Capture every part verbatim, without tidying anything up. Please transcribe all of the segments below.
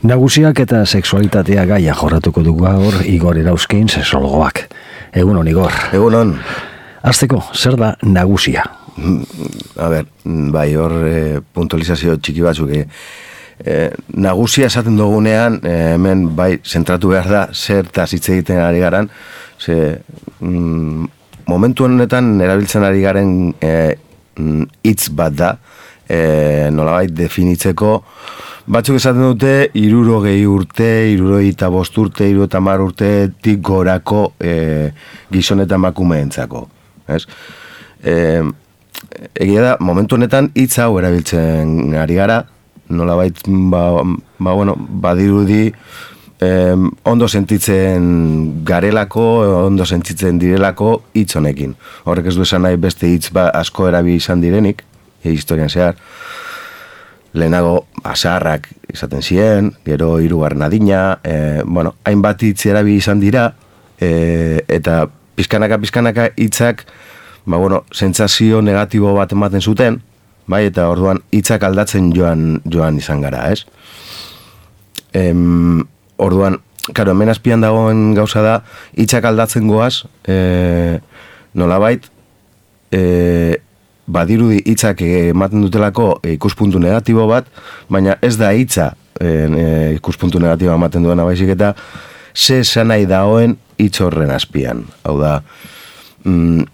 Nagusiak eta sexualitatea gaia jorratuko dugu gaur Igor Erauzkin sexologoak. Egun on, Igor. Egun on. Hasteko, zer da nagusia? A ber, bai, hor e, puntualizazio txiki batzuk. E, e, nagusia esaten dugunean, e, hemen bai, zentratu behar da, zertaz hitz egiten ari garan, ze, mm, momentu honetan erabiltzen ari garen hitz e, bat da, e, nolabait definitzeko, batzuk esaten dute, hirurogei urte, hirurogei eta bost urte, hirurogei eta hamar urtetik gorako e, gizon eta emakumeentzako. Ez? E, egia da, momentu honetan hitz hau erabiltzen ari gara, nolabait, ba, ba, bueno, badirudi eh, ondo sentitzen garelako, ondo sentitzen direlako hitz honekin. Horrek ez du esan nahi beste hitz ba, asko erabi izan direnik, e, historian zehar. Lehenago azarrak izaten ziren, gero hirugarren adina, e, bueno, hainbat hitz erabi izan dira, e, eta pizkanaka pizkanaka hitzak, ba bueno, sentsazio negatibo bat ematen zuten, bai, eta orduan hitzak aldatzen joan joan izan gara, ez? Em, orduan, claro, hemen azpian dagoen gauza da, hitzak aldatzen goaz, e, nolabait, e, badirudi hitzak ematen dutelako ikuspuntu negatibo bat, baina ez da hitza e, ikuspuntu negatiboa ematen duena baizik eta ze esan nahi dagoen hitz horren azpian. Hau da, mm,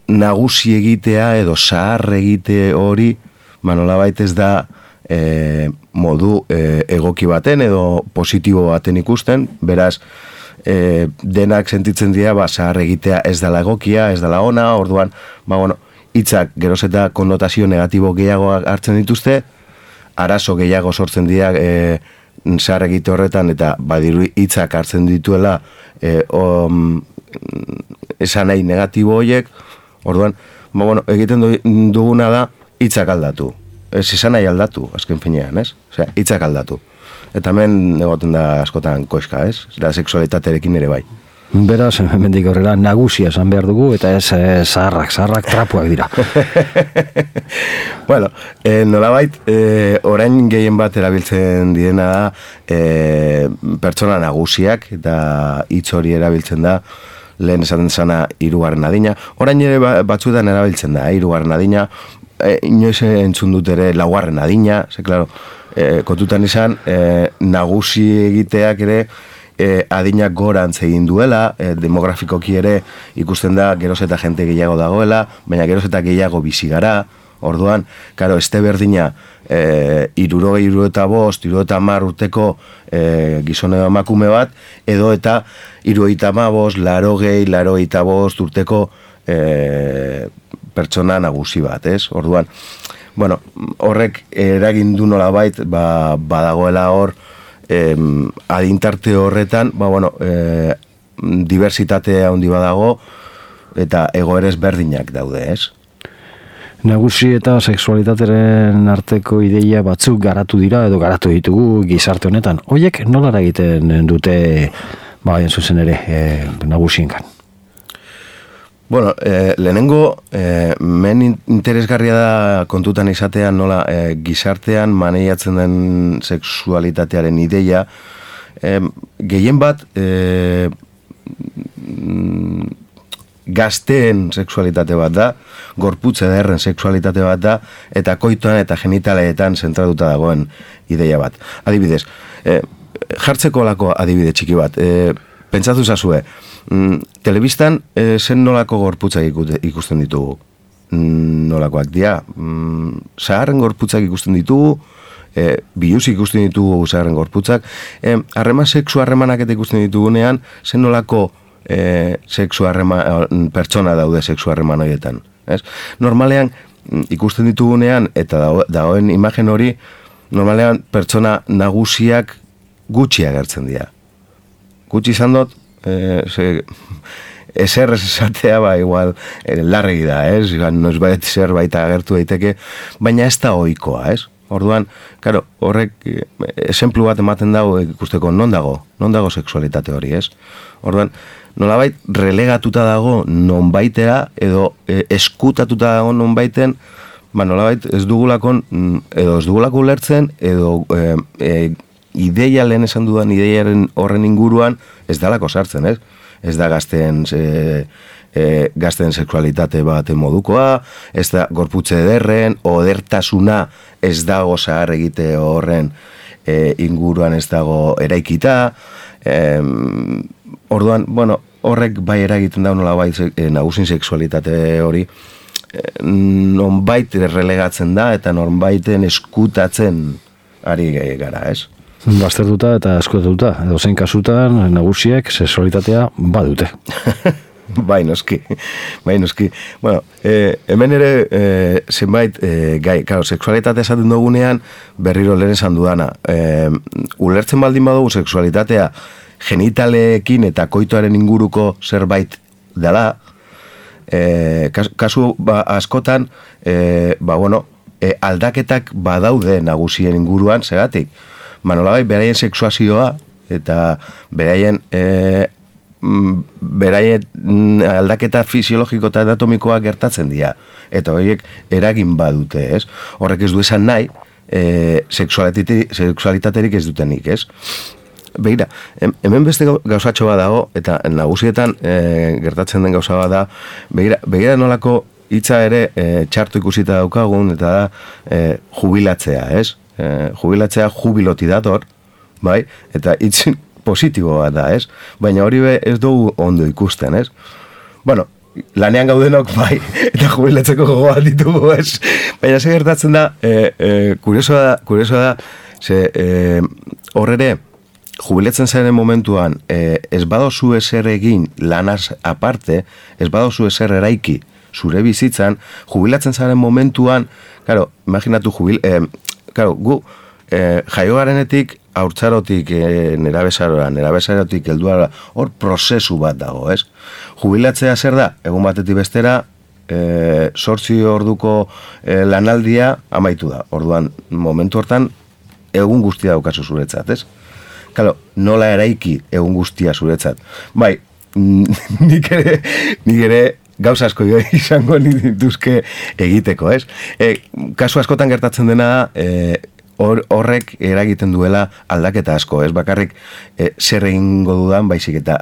nagusi egitea edo zahar egite hori, nolabait ez da e, modu e, egoki baten edo positibo baten ikusten, beraz, e, denak sentitzen dira, ba, zahar egitea ez dela egokia, ez dela ona, orduan, ba, bueno, hitzak geroz eta konnotazio negatibo gehiago hartzen dituzte, arazo gehiago sortzen dira e, zahar egite horretan, eta badiru hitzak hartzen dituela e, om, esan nahi negatibo horiek, orduan, ba, bueno, egiten duguna da hitzak aldatu. Ez esan nahi aldatu, azken finean, ez? Osea, hitzak aldatu. Eta hemen egoten da askotan koizka, ez? Da sexualitatearekin ere bai. Beraz, hemendik horrela nagusia esan behar dugu, eta ez eh, zaharrak, zaharrak trapuak dira. Bueno, eh, nolabait, eh, orain gehien bat erabiltzen direna da eh, pertsona nagusiak, eta hitz hori erabiltzen da, lehen esaten zana hirugarren adina. Orain ere batzuetan erabiltzen da, hirugarren adina, eh, inoiz entzun dut ere laugarren adina, ze, klaro, eh, kontutan izan, eh, nagusi egiteak ere, E, adinak gorantz egin duela, e, demografikoki ere ikusten da geroz eta jente gehiago dagoela, baina geroz eta gehiago bizi gara, orduan, karo, este berdina, e, hirurogei, hirurogei eta bost, hirurogei eta hamar urteko e, gizon edo emakume bat, edo eta hirurogei eta hamabost, laurogei, laurogei eta bost urteko e, pertsona nagusi bat, ez? Orduan, bueno, horrek eragin du nolabait, ba, badagoela hor, Eh, adintarte horretan, ba, bueno, eh, diversitatea handi badago eta egoerez berdinak daude, ez? Nagusi eta sexualitateren arteko ideia batzuk garatu dira edo garatu ditugu gizarte honetan. Hoiek nolara egiten dute, ba, en zuzen ere, eh, nagusiengan? Bueno, eh, lehenengo, eh, men interesgarria da kontutan izatean nola eh, gizartean maneiatzen den sexualitatearen ideia. Eh, gehien bat, eh, gazteen sexualitate bat da, gorputz ederren sexualitate bat da, eta koituan eta genitaleetan zentratuta dagoen ideia bat. Adibidez, eh, jartzeko lako adibide txiki bat, eh, pentsatu zazue, mm, telebistan e, zen nolako gorputzak ikusten ditugu. Mm, nolakoak dira. Mm, zaharren gorputzak ikusten ditugu, e, biluzik ikusten ditugu zaharren gorputzak. E, harreman sexu harremanak eta ikusten ditugunean, zen nolako e, sexu harreman, pertsona daude sexu harreman horietan. Ez? Normalean, ikusten ditugunean, eta dagoen imagen hori, normalean pertsona nagusiak gutxi agertzen dira. Gutxi izan dut, eh, ze, ezer ez esatea, ba, igual, eh, larregi da, ez? Noiz bait zer baita agertu daiteke, baina ez da ohikoa, ez? Orduan, karo, horrek, eh, esenplu bat ematen dago ikusteko non dago, non dago sexualitate hori, ez? Orduan, nolabait relegatuta dago nonbaitera, edo eh, eskutatuta dago nonbaiten, ba, nolabait ez dugulakon, edo ez dugulako ulertzen, edo eh, eh, ideia lehen esan dudan ideiaren horren inguruan ez dalako sartzen, ez? Ez da gazten e, e, gazten sexualitate bat modukoa, ez da gorputze ederren, odertasuna ez dago zahar egite horren e, inguruan ez dago eraikita, e, orduan, bueno, horrek bai eragiten da nola bai e, nagusin sexualitate hori e, nonbait relegatzen da eta nonbaiten eskutatzen ari gara, ez? Baztertuta eta eskutatuta, edo zein kasutan nagusiek sexualitatea badute. Bai, noski, bai, noski. Bueno, eh, hemen ere eh, zenbait eh, gai, claro, sexualitatea esaten dugunean berriro lehen esan dudana. Eh, ulertzen baldin badugu sexualitatea genitaleekin eta koitoaren inguruko zerbait dela, eh, kasu ba, askotan, eh, ba, bueno, eh, aldaketak badaude nagusien inguruan, segatik. Manolabai, beraien sexuazioa eta beraien eh, beraien aldaketa fisiologiko eta anatomikoa gertatzen dira. Eta horiek eragin badute, ez? Horrek ez du esan nahi, e, sexualitaterik ez dutenik, ez? Begira, hemen beste gauzatxo bat dago, eta nagusietan e, gertatzen den gauza bat da, begira, begira nolako hitza ere e, txarto ikusita daukagun, eta da e, jubilatzea, ez? E, jubilatzea jubiloti dator, bai? Eta hitz positiboa da, ez? Baina hori be ez dugu ondo ikusten, ez? Bueno, lanean gaudenok bai, eta jubilatzeko gogoa ditugu, ez? Baina ze gertatzen da, e, e, kuriosoa da, kuriosoa da, ze e, horrere, jubilatzen zaren momentuan, e, ez badozu ezer egin lanaz aparte, ez badozu ezer eraiki zure bizitzan, jubilatzen zaren momentuan, claro, imaginatu jubil, e, claro, gu, e, jaio garenetik, haurtzarotik e, nerabezarora, nerabezarotik helduara, hor prozesu bat dago, ez? Jubilatzea zer da? Egun batetik bestera, e, sortzi orduko e, lanaldia amaitu da. Orduan, momentu hortan, egun guztia daukazu zuretzat, ez? Kalo, nola eraiki egun guztia zuretzat. Bai, nik ere, nik ere, gauza asko izango dituzke egiteko, ez? E, kasu askotan gertatzen dena da, e, Hor, horrek eragiten duela aldaketa asko, ez bakarrik e, zer egingo dudan, baizik eta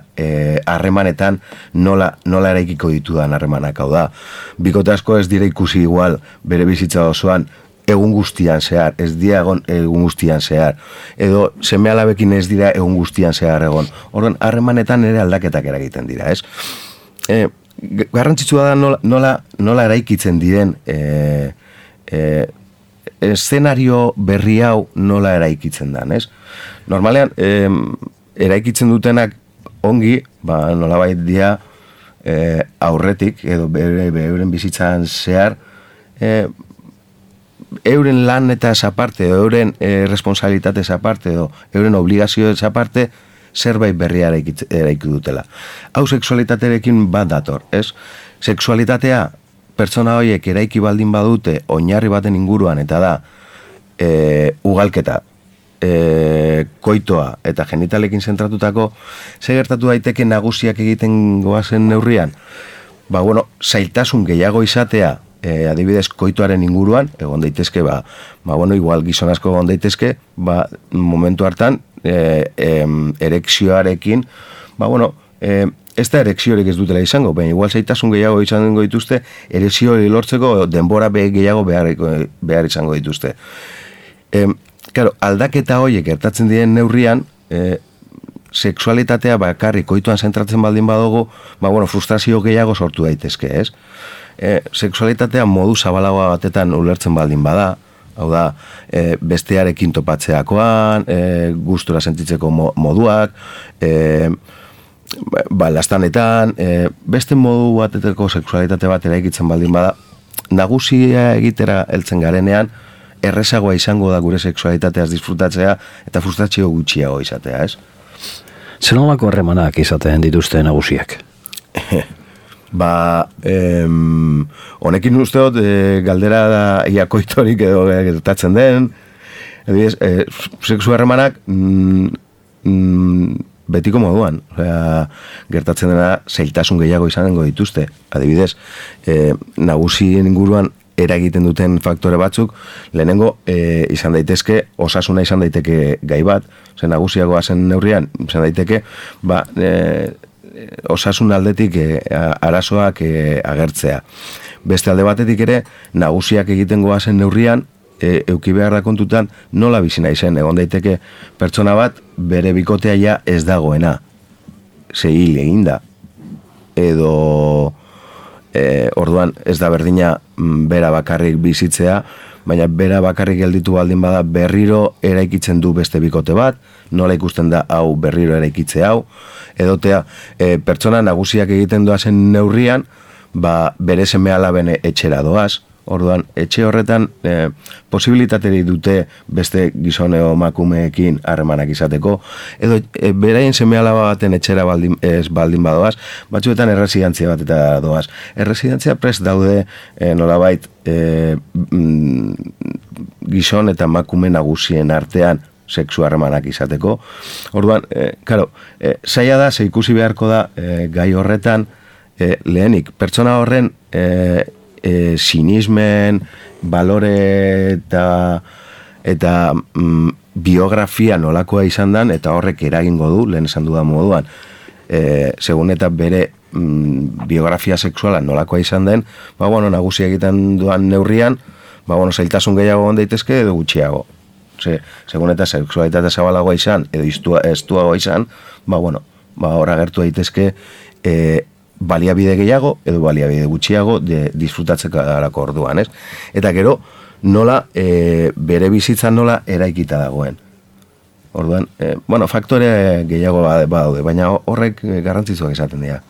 harremanetan e, nola, nola eraikiko ditudan harremanak, hau da. Bikote asko ez dira ikusi igual bere bizitza osoan egun guztian zehar, ez dira egon egun guztian zehar, edo seme alabekin ez dira egun guztian zehar egon. Orduan, harremanetan ere aldaketak eragiten dira, ez? E, garrantzitsua da nola, nola, nola eraikitzen diren e, e, eszenario berri hau nola eraikitzen dan, ez? Normalean, eh, eraikitzen dutenak ongi, ba, nolabait dia eh, aurretik, edo bere, euren bizitzan zehar, eh, euren lan eta aparte, edo euren eh, responsabilitate aparte, edo euren obligazio aparte, zerbait berria eraiki dutela. Hau sexualitaterekin bat dator, ez? Sexualitatea pertsona horiek eraiki baldin badute oinarri baten inguruan, eta da e, ugalketa, e, koitoa eta genitalekin zentratutako, ze gertatu daiteke nagusiak egiten goazen neurrian? Ba, bueno, zailtasun gehiago izatea, e, adibidez koitoaren inguruan, egon daitezke, ba, ba bueno, igual gizon asko egon daitezke, ba, momentu hartan, e, e, erekzioarekin, ba, bueno, e, ez da erekziorik ez dutela izango, baina igual zaitasun gehiago izango dituzte, erekzio lortzeko denbora gehiago behar, behar izango dituzte. E, claro, aldaketa horiek gertatzen diren neurrian, e, sexualitatea bakarrik koituan zentratzen baldin badugu, ba, bueno, frustrazio gehiago sortu daitezke, ez? E, sexualitatea modu zabalagoa batetan ulertzen baldin bada, hau da, e, bestearekin topatzeakoan, e, gustura sentitzeko moduak, e, ba, lastanetan, e, beste modu bateteko sexualitate bat eraikitzen baldin bada, nagusia egitera heltzen garenean, errezagoa izango da gure sexualitateaz disfrutatzea eta frustrazio gutxiago izatea, ez? Zer nolako harremanak izaten dituzte nagusiak? Ba, em, honekin uste dut, e, galdera da iakoitorik edo gertatzen den, edibidez, e, sexu harremanak, mm, mm, betiko moduan, osea, gertatzen dena zailtasun gehiago izango dituzte. Adibidez, e, nagusien inguruan eragiten duten faktore batzuk, lehenengo e, izan daitezke, osasuna izan daiteke gai bat, zen nagusiagoa zen neurrian, izan daiteke, ba, e, osasun aldetik e, arazoak e, agertzea. Beste alde batetik ere, nagusiak egiten goazen neurrian, e, euki behar da kontutan, nola bizi nahi zen, egon daiteke pertsona bat, bere bikotea ja ez dagoena, ze hil egin da, edo e, orduan ez da berdina bera bakarrik bizitzea, baina bera bakarrik gelditu baldin bada berriro eraikitzen du beste bikote bat, nola ikusten da hau berriro eraikitze hau, edotea e, pertsona nagusiak egiten doazen neurrian, ba, bere seme alaben etxera doaz, orduan etxe horretan e, posibilitateri dute beste gizone o emakumeekin harremanak izateko, edo e, beraien seme alaba baten etxera baldin, ez baldin badoaz, batzuetan erresidentzia bat eta doaz. Erresidentzia prest daude e, nolabait e, mm, gizon eta emakume nagusien artean sexu harremanak izateko. Orduan, e, claro, e, zaila da, ze ikusi beharko da e, gai horretan, e, lehenik, pertsona horren e, e, sinismen, balore eta, eta mm, biografia nolakoa izan dan, eta horrek eragingo du, lehen esan dudan moduan, e, segun eta bere mm, biografia sexuala nolakoa izan den, ba, bueno, nagusi egiten duan neurrian, ba, bueno, zailtasun gehiago on daitezke edo gutxiago. Ze, segun eta sexualitate zabalagoa izan, edo iztua, estuagoa izan, ba, bueno, ba, hor agertu daitezke e, baliabide gehiago, edo baliabide gutxiago, de, disfrutatzeko darako orduan, ez? Eta gero, nola, e, bere bizitzan nola eraikita dagoen. Orduan, e, bueno, faktore gehiago badaude, baina horrek garrantzitsuak izaten dira.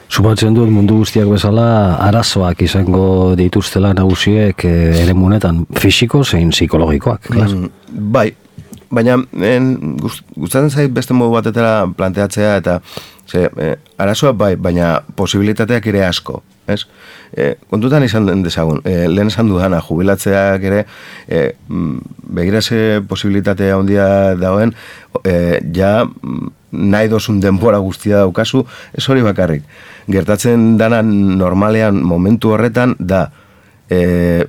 Sumatzen dut mundu guztiak bezala arazoak izango dituztela nagusiek ere munetan, fisiko zein psikologikoak. Mm, bai, baina en, gustatzen zait beste modu batetara planteatzea eta ze, eh, arazoa bai, baina posibilitateak ere asko. Ez? E, kontutan izan den dezagun, e, lehen esan dudana, jubilatzeak ere, e, begira ze posibilitatea handia dagoen, e, ja nahi dozun denbora guztia daukazu, ez hori bakarrik. Gertatzen dana normalean momentu horretan da, e,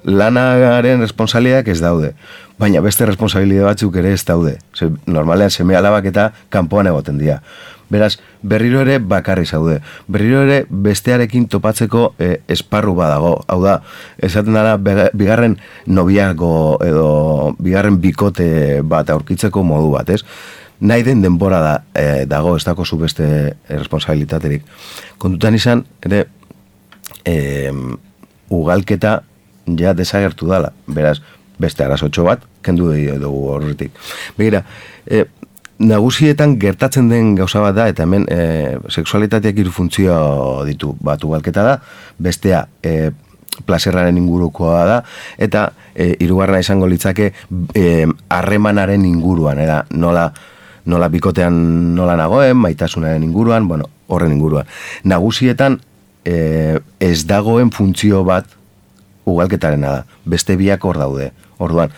lanagaren responsabiliak ez daude, baina beste responsabilidade batzuk ere ez daude. Ze, normalean seme alabak eta kanpoan egoten dira. Beraz, berriro ere bakarri zaude. Berriro ere bestearekin topatzeko e, esparru badago. Hau da, esaten dara bigarren nobiago edo bigarren bikote bat aurkitzeko modu bat, ez? Nahi den denbora da, e, dago, ez dako zu beste responsabilitaterik. Kontutan izan, ere, e, ugalketa ja desagertu dala. Beraz, beste arazotxo bat, kendu dugu horretik. Begira, e, nagusietan gertatzen den gauza bat da, eta hemen e, sexualitateak hiru funtzio ditu. Bat ugalketa da, bestea e, plazerraren ingurukoa da, eta e, hirugarrena izango litzake harremanaren e, inguruan, era, nola, nola bikotean nola nagoen, maitasunaren inguruan, bueno, horren inguruan. Nagusietan e, ez dagoen funtzio bat ugalketarena da, beste biak hor daude. Orduan,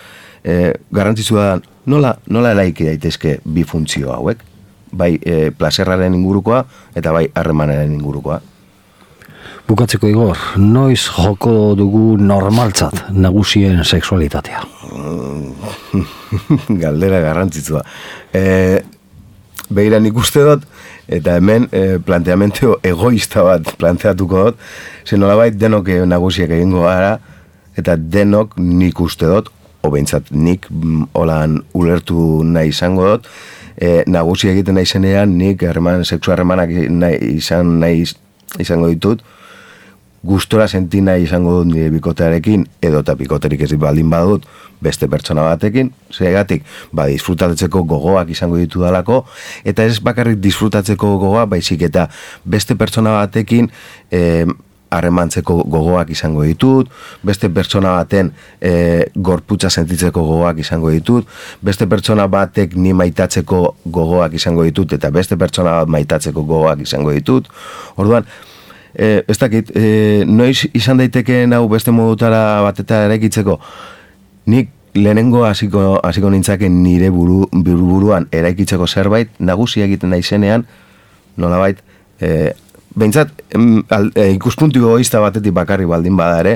e, garrantzitsua da, nola, nola eraiki daitezke bi funtzio hauek, bai e, plazerraren ingurukoa eta bai harremanaren ingurukoa. Bukatzeko Igor, noiz joko dugu normaltzat nagusien sexualitatea? Galdera garrantzitsua. E, Begira nik uste dut, eta hemen e, planteamento egoista bat planteatuko dut, zen nolabait denok nagusiak egingo gara, eta denok nik uste dut, o behintzat nik holan ulertu nahi izango dut, e, nagusi egiten nahi zenean nik herman, sexu harremanak nahi, izan, nahi izango ditut, gustora senti nahi izango dut nire bikotearekin, edo eta bikoterik ez baldin badut beste pertsona batekin, zegatik, ba, disfrutatzeko gogoak izango ditu dalako, eta ez bakarrik disfrutatzeko gogoa, baizik eta beste pertsona batekin e, harremantzeko gogoak izango ditut, beste pertsona baten e, gorputza sentitzeko gogoak izango ditut, beste pertsona batek ni maitatzeko gogoak izango ditut, eta beste pertsona bat maitatzeko gogoak izango ditut. Orduan, e, ez dakit, e, noiz izan daiteke hau beste modutara bateta eraikitzeko, nik lehenengo hasiko hasiko nintzake nire buru, buru buruan eraikitzeko zerbait, nagusi egiten naizenean, nolabait, e, behintzat, e, ikuspuntu egoista batetik bakarri baldin bada ere,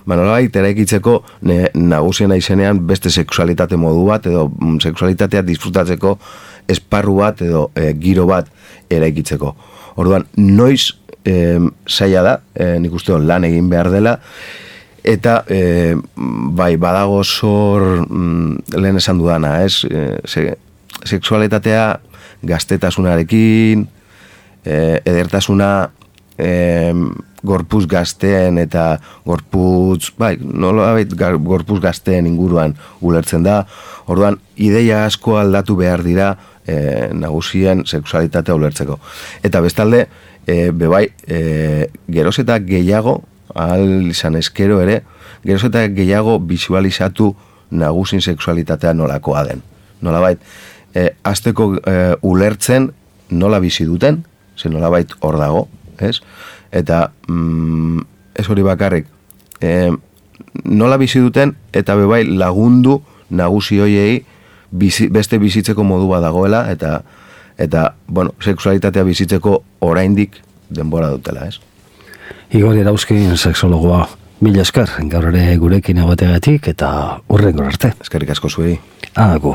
ba, nolabait eraikitzeko ne, nagusiena izenean beste sexualitate modu bat, edo mm, sexualitatea disfrutatzeko esparru bat, edo e, giro bat eraikitzeko. Orduan, noiz e, zaila da, e, nik uste lan egin behar dela, eta e, bai, badago zor mm, lehen esan dudana, ez? E, se, sexualitatea gaztetasunarekin, E, edertasuna e, gorpuz gazteen eta gorpuz, bai, nolabait gorpuz gazteen inguruan ulertzen da. Orduan, ideia asko aldatu behar dira e, nagusien sexualitatea ulertzeko. Eta bestalde, e, bebai, e, geroz eta gehiago, ahal izan eskero ere, geroz eta gehiago visualizatu nagusin sexualitatea nolakoa den. Nolabait, e, azteko e, ulertzen nola bizi duten, zen nolabait hor dago, ez? Eta mm, ez hori bakarrik, e, nola bizi duten eta bebai lagundu nagusi hoiei bizi, beste bizitzeko modu bat dagoela eta eta bueno, sexualitatea bizitzeko oraindik denbora dutela, ez? Igor Erauzkin sexologoa, mila esker, gaur ere gurekin egoteagatik eta hurrengo arte. Eskerrik asko zuei. Agur.